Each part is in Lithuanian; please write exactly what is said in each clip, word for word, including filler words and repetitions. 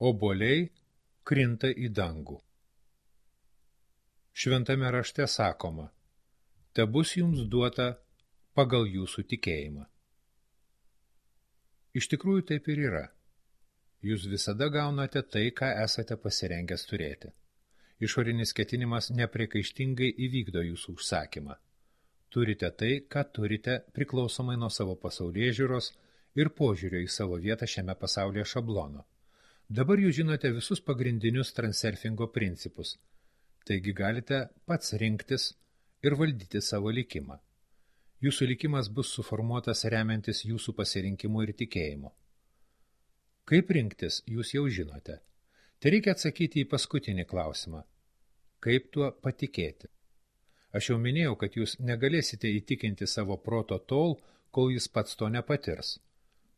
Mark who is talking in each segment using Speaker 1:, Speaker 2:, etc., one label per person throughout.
Speaker 1: obuoliai krinta į dangų. Šventame rašte sakoma, tebus jums duota pagal jūsų tikėjimą. Iš tikrųjų taip ir yra. Jūs visada gaunate tai, ką esate pasirengęs turėti. Išorinis ketinimas nepriekaištingai įvykdo jūsų užsakymą. Turite tai, ką turite, priklausomai nuo savo pasaulėžiūros ir požiūrio į savo vietą šiame pasaulyje šablono. Dabar jūs žinote visus pagrindinius transurfingo principus, taigi galite pats rinktis ir valdyti savo likimą. Jūsų likimas bus suformuotas remiantis jūsų pasirinkimu ir tikėjimu. Kaip rinktis, jūs jau žinote. Tai reikia atsakyti į paskutinį klausimą. Kaip tuo patikėti? Aš jau minėjau, kad jūs negalėsite įtikinti savo proto tol, kol jis pats to nepatirs.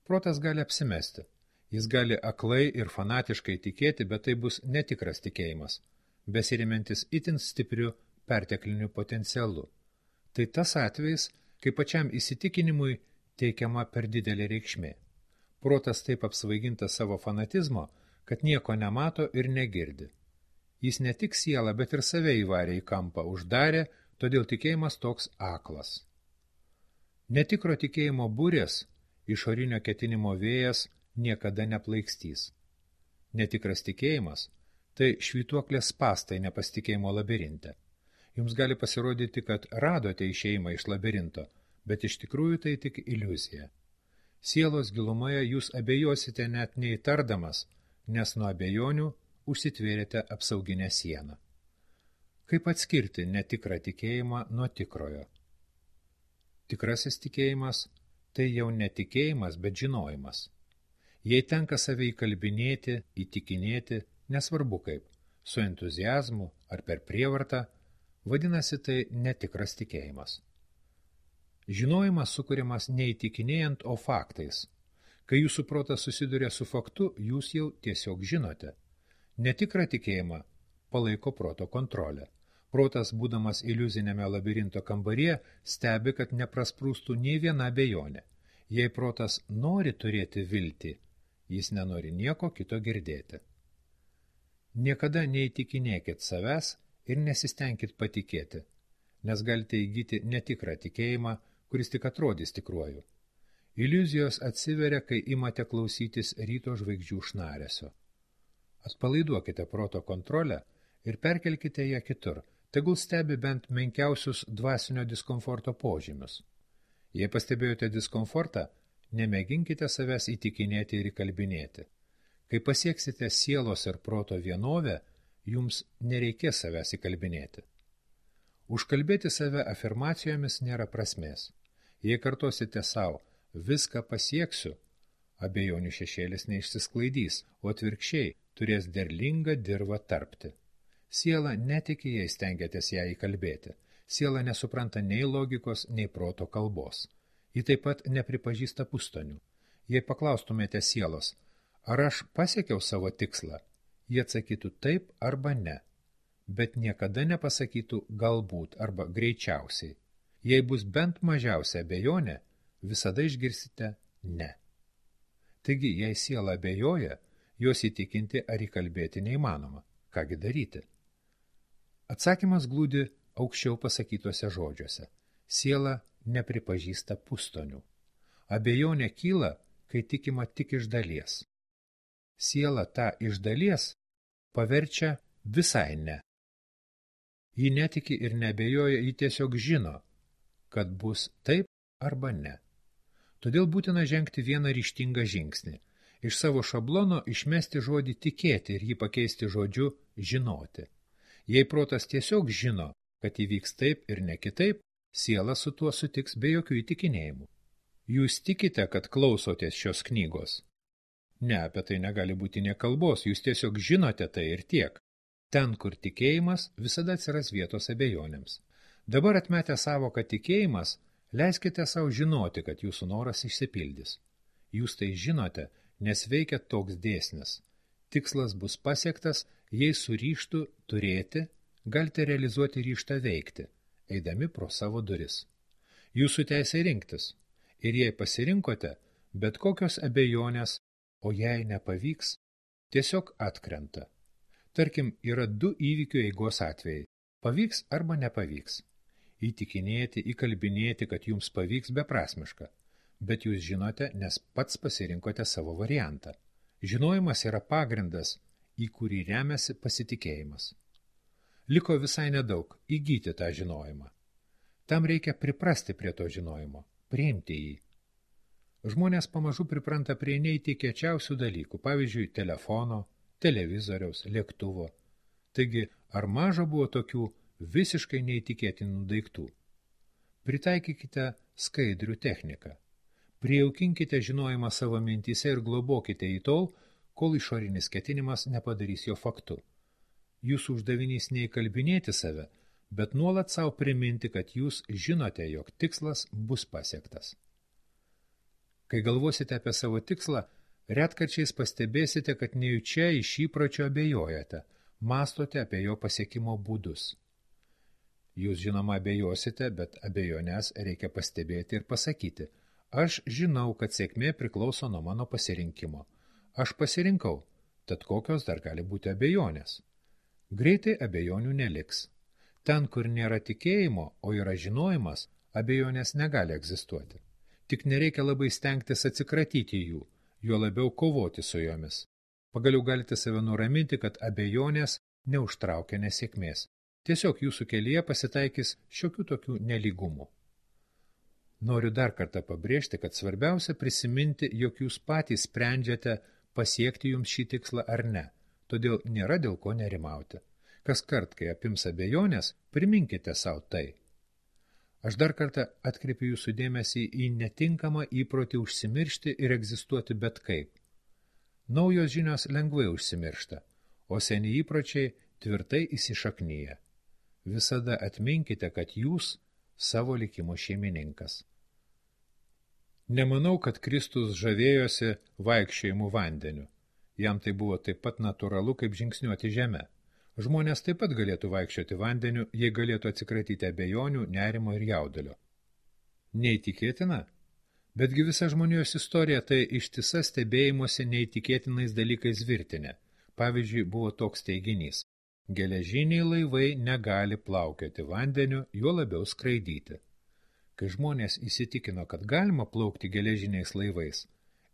Speaker 1: Protas gali apsimesti. Jis gali aklai ir fanatiškai tikėti, bet tai bus netikras tikėjimas, besirimentis itin stipriu pertekliniu potencialu. Tai tas atvejis, kai pačiam įsitikinimui teikiama per didelė reikšmė. Protas taip apsvaigintas savo fanatizmo, kad nieko nemato ir negirdi. Jis ne tik sielą, bet ir save įvarė į kampą, uždarė, todėl tikėjimas toks aklas. Netikro tikėjimo burės, išorinio ketinimo vėjas niekada neplaikstys. Netikras tikėjimas – tai švytuoklės spąstai nepasitikėjimo labirinte. Jums gali pasirodyti, kad radote išėjimą iš labirinto, bet iš tikrųjų tai tik iliuzija. Sielos gilumoje jūs abejosite net neįtardamas, nes nuo abejonių užsitvėrėte apsauginę sieną. Kaip atskirti netikrą tikėjimą nuo tikrojo? Tikrasis tikėjimas – tai jau netikėjimas, bet žinojimas. Jei tenka save įkalbinėti, įtikinėti, nesvarbu kaip, su entuziazmu ar per prievartą, vadinasi tai netikras tikėjimas. Žinojimas sukuriamas neįtikinėjant, o faktais. Kai jūsų protas susiduria su faktu, jūs jau tiesiog žinote. Netikrą tikėjimą palaiko proto kontrolę. Protas, būdamas iliuzinėme labirinto kambaryje, stebi, kad neprasprūstų nei viena abejonė. Jei protas nori turėti viltį, jis nenori nieko kito girdėti. Niekada neįtikinėkit savęs ir nesistengkit patikėti, nes galite įgyti netikrą tikėjimą, kuris tik atrodys tikruoju. Iliuzijos atsiveria, kai imate klausytis ryto žvaigždžių šnaresio. Atpalaiduokite proto kontrolę ir perkelkite ją kitur, tegul stebi bent menkiausius dvasinio diskomforto požymius. Jei pastebėjote diskomfortą, nemėginkite savęs įtikinėti ir įkalbinėti. Kai pasieksite sielos ir proto vienovę, jums nereikės savęs įkalbinėti. Užkalbėti save afirmacijomis nėra prasmės. Jei kartosite savo, viską pasieksiu, abejonių šešėlis neišsisklaidys, o atvirkščiai turės derlingą dirvą tarpti. Siela netiki, jei stengiatės ją įkalbėti. Siela nesupranta nei logikos, nei proto kalbos. Ji taip pat nepripažįsta pustonių. Jei paklaustumėte sielos, ar aš pasiekiau savo tikslą, jie atsakytų taip arba ne, bet niekada nepasakytų galbūt arba greičiausiai. Jei bus bent mažiausia abejonė, visada išgirsite ne. Taigi, jei siela abejoja, jos įtikinti ar įkalbėti neįmanoma. Kągi daryti? Atsakymas glūdi aukščiau pasakytuose žodžiuose. Siela nepripažįsta pustonių. Abejonė kyla, kai tikima tik iš dalies. Siela tą iš dalies paverčia visai ne. Ji netiki ir neabejoja, ji tiesiog žino, kad bus taip arba ne. Todėl būtina žengti vieną ryžtingą žingsnį. Iš savo šablono išmesti žodį tikėti ir jį pakeisti žodžiu žinoti. Jei protas tiesiog žino, kad įvyks taip ir ne kitaip, siela su tuo sutiks be jokių įtikinėjimų. Jūs tikite, kad klausotės šios knygos? Ne, apie tai negali būti nė kalbos, jūs tiesiog žinote tai ir tiek. Ten, kur tikėjimas, visada atsiras vietos abejonėms. Dabar atmetę savoką tikėjimas, leiskite savo žinoti, kad jūsų noras išsipildys. Jūs tai žinote, nes veikia toks dėsnis. Tikslas bus pasiektas, jei su ryžtu turėti, galite realizuoti ryžtą veikti, eidami pro savo duris. Jūsų teisė rinktis, ir jei pasirinkote, bet kokios abejonės, o jei nepavyks, tiesiog atkrenta. Tarkim, yra du įvykių eigos atvejai. Pavyks arba nepavyks. Įtikinėti, įkalbinėti, kad jums pavyks beprasmiška. Bet jūs žinote, nes pats pasirinkote savo variantą. Žinojimas yra pagrindas, į kurį remiasi pasitikėjimas. Liko visai nedaug įgyti tą žinojimą. Tam reikia priprasti prie to žinojimo, priimti jį. Žmonės pamažu pripranta prie neįtikėčiausių dalykų, pavyzdžiui, telefono, televizoriaus, lėktuvo. Taigi, ar maža buvo tokių visiškai neįtikėtinų daiktų? Pritaikykite skaidrių techniką. Prijaukinkite žinojimą savo mintyse ir globokite į tol, kol išorinis ketinimas nepadarys jo faktu. Jūsų uždavinys neįkalbinėti save, bet nuolat savo priminti, kad jūs žinote, jog tikslas bus pasiektas. Kai galvosite apie savo tikslą, retkarčiais pastebėsite, kad nejučia iš įpročio abejojate, mąstote apie jo pasiekimo būdus. Jūs žinoma abejosite, bet abejonės reikia pastebėti ir pasakyti. Aš žinau, kad sėkmė priklauso nuo mano pasirinkimo. Aš pasirinkau, tad kokios dar gali būti abejonės. Greitai abejonių neliks. Ten, kur nėra tikėjimo, o yra žinojimas, abejonės negali egzistuoti. Tik nereikia labai stengtis atsikratyti jų, juo labiau kovoti su jomis. Pagaliau galite save nuraminti, kad abejonės neužtraukia nesėkmės. Tiesiog jūsų kelyje pasitaikys šiokių tokių nelygumų. Noriu dar kartą pabrėžti, kad svarbiausia prisiminti, jog jūs patys sprendžiate pasiekti jums šį tikslą ar ne, todėl nėra dėl ko nerimauti. Kas kart, kai apims abejonės, priminkite savo tai. Aš dar kartą atkreipiu jūsų dėmesį į netinkamą įprotį užsimiršti ir egzistuoti bet kaip. Naujos žinios lengvai užsimiršta, o seni įpročiai tvirtai įsišaknyja. Visada atminkite, kad jūs savo likimo šeimininkas. Nemanau, kad Kristus žavėjosi vaikščiojimų vandeniu. Jam tai buvo taip pat natūralu, kaip žingsniuoti žemę. Žmonės taip pat galėtų vaikščioti vandeniu, jei galėtų atsikratyti abejonių, nerimo ir jaudulio. Neįtikėtina? Betgi visa žmonijos istorija tai ištisa stebėjimuose neįtikėtinais dalykais virtinė. Pavyzdžiui, buvo toks teiginys. Geležiniai laivai negali plaukioti vandeniu, juo labiau skraidyti. Kai žmonės įsitikino, kad galima plaukti geležiniais laivais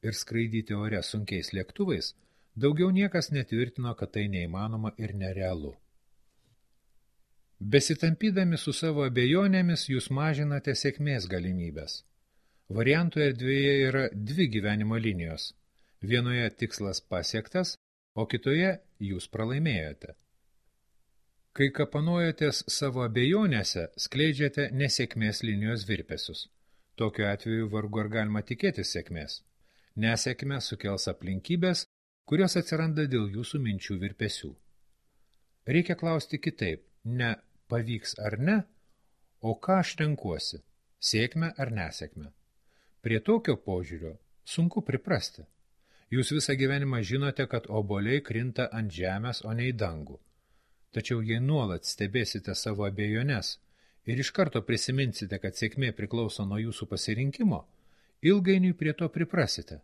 Speaker 1: ir skraidyti ore sunkiais lėktuvais, daugiau niekas netvirtino, kad tai neįmanoma ir nerealu. Besitampydami su savo abejonėmis, jūs mažinate sėkmės galimybės. Variantų erdvėje yra dvi gyvenimo linijos. Vienoje tikslas pasiektas, o kitoje jūs pralaimėjote. Kai kapanojatės savo abejonėse, skleidžiate nesėkmės linijos virpesius. Tokiu atveju vargu ar galima tikėtis sėkmės. Nesėkmė sukels aplinkybės, kurios atsiranda dėl jūsų minčių virpesių. Reikia klausti kitaip, ne pavyks ar ne, o ką aš renkuosi, sėkmę ar nesėkmę. Prie tokio požiūrio sunku priprasti. Jūs visą gyvenimą žinote, kad obuoliai krinta ant žemės, o ne į dangų. Tačiau jei nuolat stebėsite savo abejones ir iš karto prisiminsite, kad sėkmė priklauso nuo jūsų pasirinkimo, ilgainiui prie to priprasite.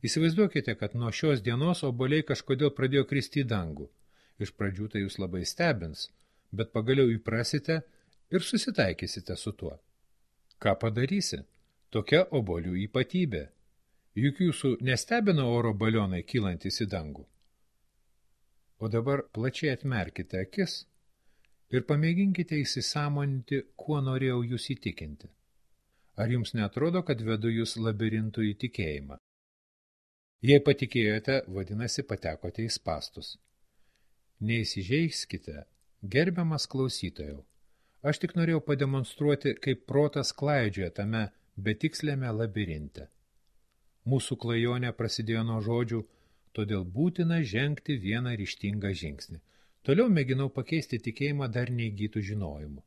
Speaker 1: Įsivaizduokite, kad nuo šios dienos obuoliai kažkodėl pradėjo kristi į dangų. Iš pradžių tai jūs labai stebins, bet pagaliau įprasite ir susitaikysite su tuo. Ką padarysi? Tokia obuolių ypatybė. Juk jūsų nestebina oro balionai kylantis į dangų. O dabar plačiai atmerkite akis ir pamėginkite įsisąmoninti, kuo norėjau jūs įtikinti. Ar jums neatrodo, kad vedu jūs labirintų į tikėjimą? Jei patikėjote, vadinasi, patekote į spastus. Neįsižeiskite, gerbiamas klausytojau. Aš tik norėjau pademonstruoti, kaip protas klaidžioja tame betikslėme labirinte. Mūsų klajonė prasidėjo nuo žodžių, todėl būtina žengti vieną ryžtingą žingsnį. Toliau mėginau pakeisti tikėjimą dar neįgytų žinojimu.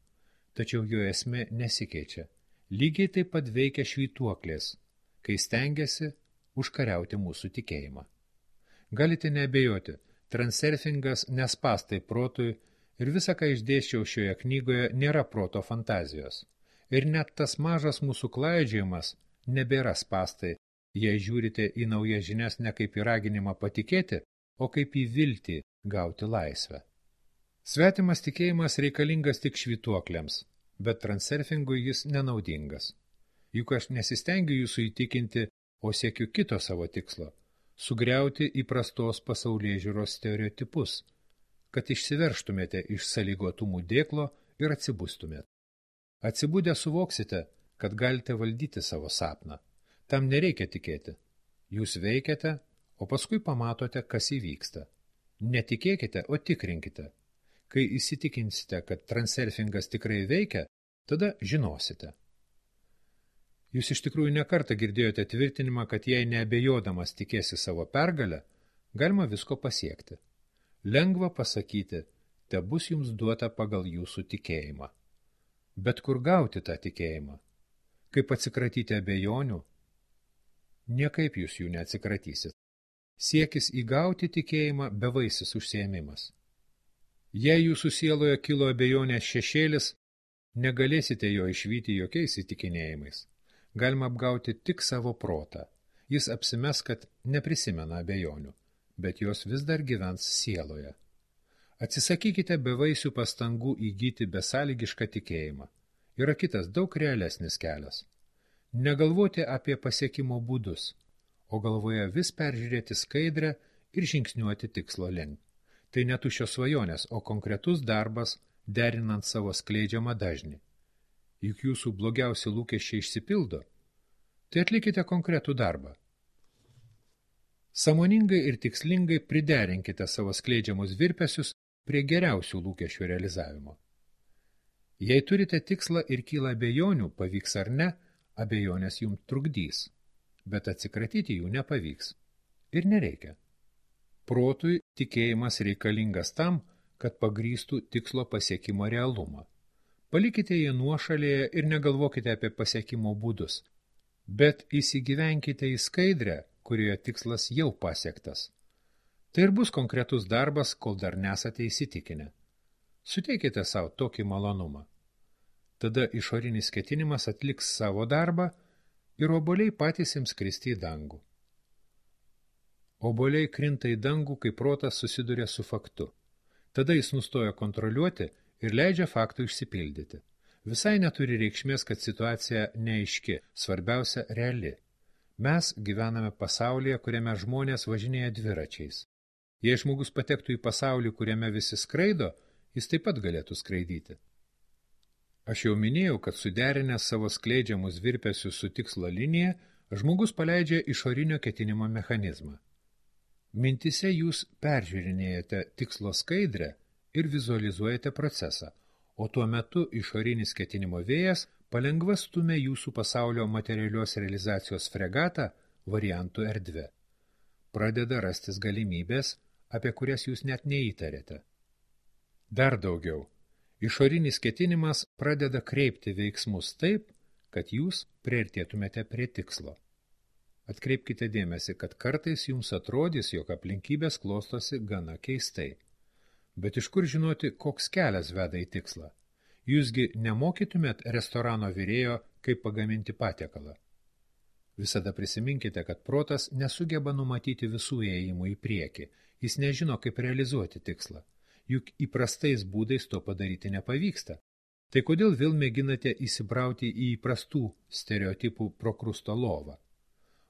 Speaker 1: Tačiau jo esmė nesikeičia. Lygiai taip pat veikia švytuoklės, kai stengiasi užkariauti mūsų tikėjimą. Galite neabejoti, transurfingas nespastai protui ir visa, ką išdėsčiau šioje knygoje, nėra proto fantazijos. Ir net tas mažas mūsų klaidžiojimas nebėra spastai, jei žiūrite į naujas žinias ne kaip į raginimą patikėti, o kaip į viltį gauti laisvę. Svetimas tikėjimas reikalingas tik švytuokliams, bet transurfingui jis nenaudingas. Juk aš nesistengiu jūsų įtikinti, o siekiu kito savo tikslo – sugriauti įprastos pasaulėžiūros stereotipus, kad išsiverštumėte iš sąlygotumų dėklo ir atsibustumėte. Atsibudę suvoksite, kad galite valdyti savo sapną. Tam nereikia tikėti. Jūs veikiate, o paskui pamatote, kas įvyksta. Netikėkite, o tikrinkite. Kai įsitikinsite, kad transurfingas tikrai veikia, tada žinosite. Jūs iš tikrųjų nekartą girdėjote tvirtinimą, kad jei neabejodamas tikėsi savo pergalę, galima visko pasiekti. Lengva pasakyti, te bus jums duota pagal jūsų tikėjimą. Bet kur gauti tą tikėjimą? Kaip atsikratyti abejonių? Niekaip jūs jų neatsikratysit. Siekis įgauti tikėjimą bevaisis užsiėmimas. Jei jūsų sieloje kilo abejonės šešėlis, negalėsite jo išvyti jokiais įtikinėjimais. Galima apgauti tik savo protą. Jis apsimes, kad neprisimena abejonių, bet jos vis dar gyvens sieloje. Atsisakykite bevaisių pastangų įgyti besąlygišką tikėjimą. Yra kitas daug realesnis kelias. Negalvoti apie pasiekimo būdus, o galvoje vis peržiūrėti skaidrę ir žingsniuoti tikslo link. Tai ne tuščios svajonės, o konkretus darbas, derinant savo skleidžiamą dažnį. Juk jūsų blogiausi lūkesčiai išsipildo, tai atlikite konkretų darbą. Sąmoningai ir tikslingai priderinkite savo skleidžiamus virpesius prie geriausių lūkesčių realizavimo. Jei turite tikslą ir kyla abejonių, pavyks ar ne, abejonės jums trukdys, bet atsikratyti jų nepavyks. Ir nereikia. Protui tikėjimas reikalingas tam, kad pagrįstų tikslo pasiekimo realumą. Palikite jį nuošalėje ir negalvokite apie pasiekimo būdus, bet įsigyvenkite į skaidrę, kurioje tikslas jau pasiektas. Tai ir bus konkretus darbas, kol dar nesate įsitikinę. Suteikite savo tokį malonumą. Tada išorinis ketinimas atliks savo darbą ir obuoliai patys ims kristi į dangų. Obuoliai krinta į dangų, kai protas susiduria su faktu. Tada jis nustoja kontroliuoti ir leidžia faktų išsipildyti. Visai neturi reikšmės, kad situacija neaiški, svarbiausia reali. Mes gyvename pasaulyje, kuriame žmonės važinėja dviračiais. Jei žmogus patektų į pasaulį, kuriame visi skraido, jis taip pat galėtų skraidyti. Aš jau minėjau, kad suderinęs savo skleidžiamus virpesius su tikslo linija, žmogus paleidžia išorinio ketinimo mechanizmą. Mintise jūs peržiūrinėjate tikslo skaidrę ir vizualizuojate procesą, o tuo metu išorinis ketinimo vėjas palengva stumia jūsų pasaulio materialios realizacijos fregatą variantų erdvę. Pradeda rastis galimybės, apie kurias jūs net neįtarėte. Dar daugiau. Išorinis ketinimas pradeda kreipti veiksmus taip, kad jūs priartėtumėte prie tikslo. Atkreipkite dėmesį, kad kartais jums atrodys, jog aplinkybės klostosi gana keistai. Bet iš kur žinoti, koks kelias veda į tikslą? Jūsgi nemokytumėt restorano virėjo, kaip pagaminti patiekalą. Visada prisiminkite, kad protas nesugeba numatyti visų ėjimų į priekį. Jis nežino, kaip realizuoti tikslą. Juk įprastais būdais to padaryti nepavyksta. Tai kodėl vėl mėginate įsibrauti į įprastų stereotipų prokrusto lovą?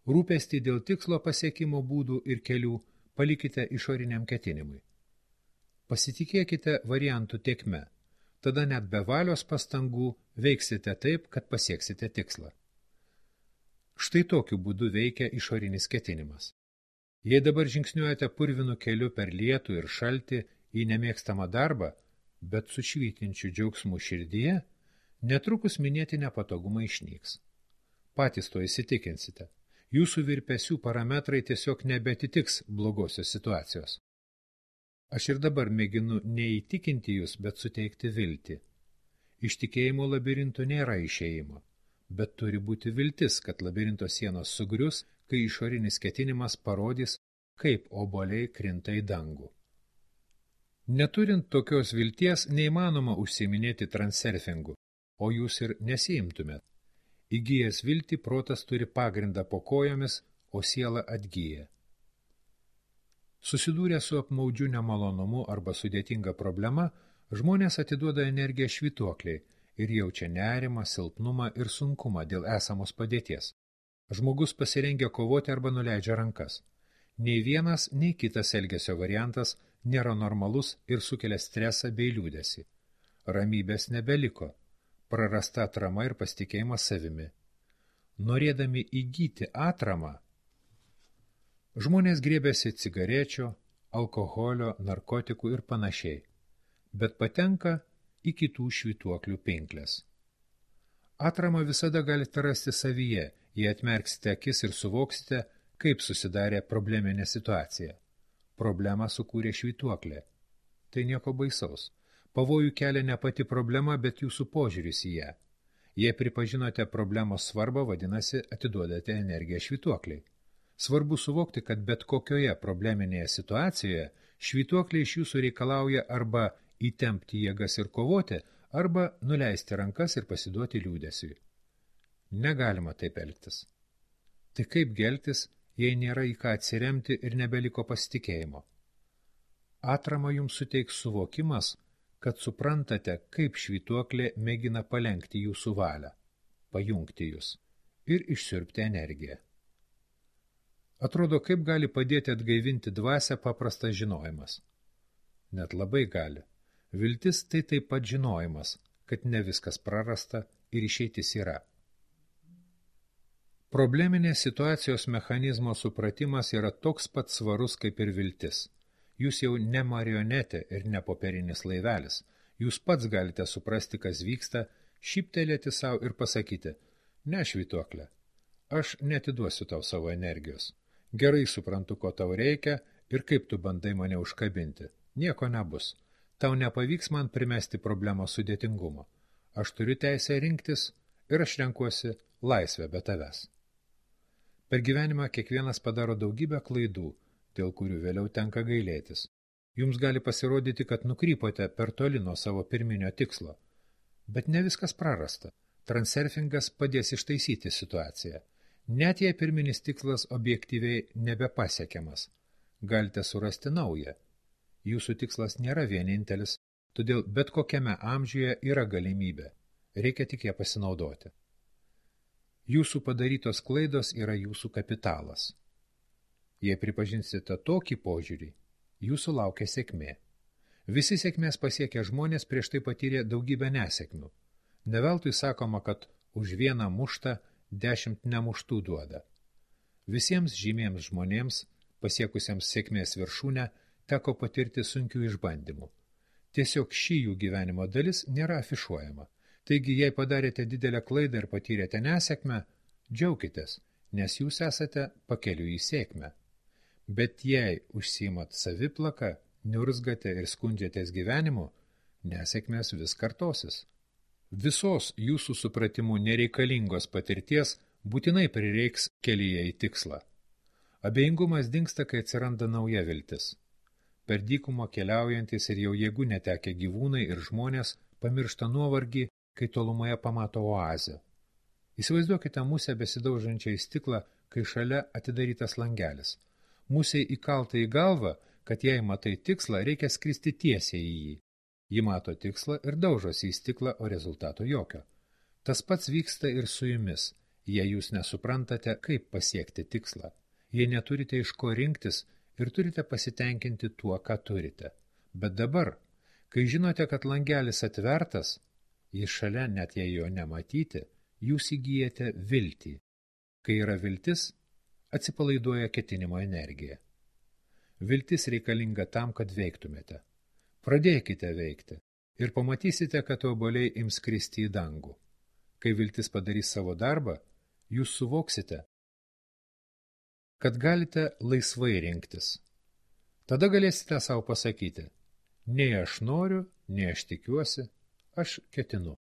Speaker 1: Rūpestį dėl tikslo pasiekimo būdų ir kelių palikite išoriniam ketinimui. Pasitikėkite variantų tėkme, tada net be valios pastangų veiksite taip, kad pasieksite tikslą. Štai tokiu būdu veikia išorinis ketinimas. Jei dabar žingsniuojate purvinu keliu per lietų ir šaltį į nemėgstamą darbą, bet su švytinčiu džiaugsmu širdyje, netrukus minėti nepatogumai išnyks. Patys to įsitikinsite. Jūsų virpesių parametrai tiesiog nebetitiks blogosios situacijos. Aš ir dabar mėginu neįtikinti jūs, bet suteikti viltį. Iš tikėjimo labirinto nėra išėjimo, bet turi būti viltis, kad labirinto sienos sugrius, kai išorinis ketinimas parodys, kaip obuoliai krinta į dangų. Neturint tokios vilties, neįmanoma užsiiminėti transurfingu, o jūs ir nesiimtumėt. Įgijęs viltį, protas turi pagrindą po kojomis, o siela atgyja. Susidūrę su apmaudžiu nemalonumu arba sudėtinga problema, žmonės atiduoda energiją švytuokliai ir jaučia nerimą, silpnumą ir sunkumą dėl esamos padėties. Žmogus pasirengia kovoti arba nuleidžia rankas. Nei vienas, nei kitas elgesio variantas nėra normalus ir sukelia stresą bei liūdesį. Ramybės nebeliko, prarasta atrama ir pasitikėjimas savimi. Norėdami įgyti atramą, žmonės griebiasi cigarečių, alkoholio, narkotikų ir panašiai, bet patenka į kitų švytuoklių pinklės. Atramą visada galite rasti savyje, jei atmerksite akis ir suvoksite, kaip susidarė probleminė situacija. Problemą sukūrė švytuoklė. Tai nieko baisaus. Pavojų kelia ne pati problema, bet jūsų požiūris į ją. Jei pripažinote problemos svarbą, vadinasi, atiduodate energiją švytuokliai. Svarbu suvokti, kad bet kokioje probleminėje situacijoje švytuokliai iš jūsų reikalauja arba įtempti jėgas ir kovoti, arba nuleisti rankas ir pasiduoti liūdesiui. Negalima taip elgtis. Tai kaip geltis, jei nėra į ką atsiremti ir nebeliko pasitikėjimo? Atramą jums suteiks suvokimas, kad suprantate, kaip švytuoklė mėgina palenkti jūsų valią, pajungti jūs ir išsiurbti energiją. Atrodo, kaip gali padėti atgaivinti dvasią paprastas žinojimas. Net labai gali. Viltis tai taip pat žinojimas, kad ne viskas prarasta ir išeitis yra. Probleminės situacijos mechanizmo supratimas yra toks pat svarus kaip ir viltis. Jūs jau ne marionetė ir ne popierinis laivelis. Jūs pats galite suprasti, kas vyksta, šyptelėti savo ir pasakyti, ne švytuoklė, aš netiduosiu tau savo energijos. Gerai suprantu, ko tau reikia ir kaip tu bandai mane užkabinti. Nieko nebus. Tau nepavyks man primesti problemos sudėtingumo. Aš turiu teisę rinktis ir aš renkuosi laisvę be tavęs. Per gyvenimą kiekvienas padaro daugybę klaidų, dėl kurių vėliau tenka gailėtis. Jums gali pasirodyti, kad nukrypote per toli nuo savo pirminio tikslo. Bet ne viskas prarasta. Transurfingas padės ištaisyti situaciją. Net jei pirminis tikslas objektyviai nebepasiekiamas, galite surasti naują. Jūsų tikslas nėra vienintelis, todėl bet kokiame amžiuje yra galimybė. Reikia tik ją pasinaudoti. Jūsų padarytos klaidos yra jūsų kapitalas. Jei pripažinsite tokį požiūrį, jūsų laukia sėkmė. Visi sėkmės pasiekę žmonės prieš tai patyrė daugybę nesėkmių. Neveltui sakoma, kad už vieną muštą dešimt nemuštų duoda. Visiems žymiems žmonėms, pasiekusiems sėkmės viršūnę, teko patirti sunkių išbandymų. Tiesiog ši jų gyvenimo dalis nėra afišuojama. Taigi, jei padarėte didelę klaidą ir patyrėte nesėkmę, džiaukitės, nes jūs esate pakeliui į sėkmę. Bet jei užsiimat saviplaką, niurzgate ir skundžiatės gyvenimu, nesėkmės vis kartosis. Visos jūsų supratimų nereikalingos patirties būtinai prireiks kelyje į tikslą. Abejingumas dingsta, kai atsiranda nauja viltis. Per dykumą keliaujantis ir jau jėgų netekę gyvūnai ir žmonės pamiršta nuovargį, kai tolumoje pamato oazę. Įsivaizduokite musę besidaužančią į stiklą, kai šalia atidarytas langelis. Musei įkalta į galvą, kad jei matai tikslą, reikia skristi tiesiai į jį. Ji mato tikslą ir daužosi į stiklą, o rezultato jokio. Tas pats vyksta ir su jumis, jei jūs nesuprantate, kaip pasiekti tikslą. Jei neturite iš ko rinktis ir turite pasitenkinti tuo, ką turite. Bet dabar, kai žinote, kad langelis atvertas, jis šalia, net jei jo nematyti, jūs įgyjate viltį. Kai yra viltis, atsipalaiduoja ketinimo energija. Viltis reikalinga tam, kad veiktumėte. Pradėkite veikti ir pamatysite, kad obuoliai ims kristi į dangų. Kai viltis padarys savo darbą, jūs suvoksite, kad galite laisvai rinktis. Tada galėsite savo pasakyti, nei aš noriu, nei aš tikiuosi, aš ketinu.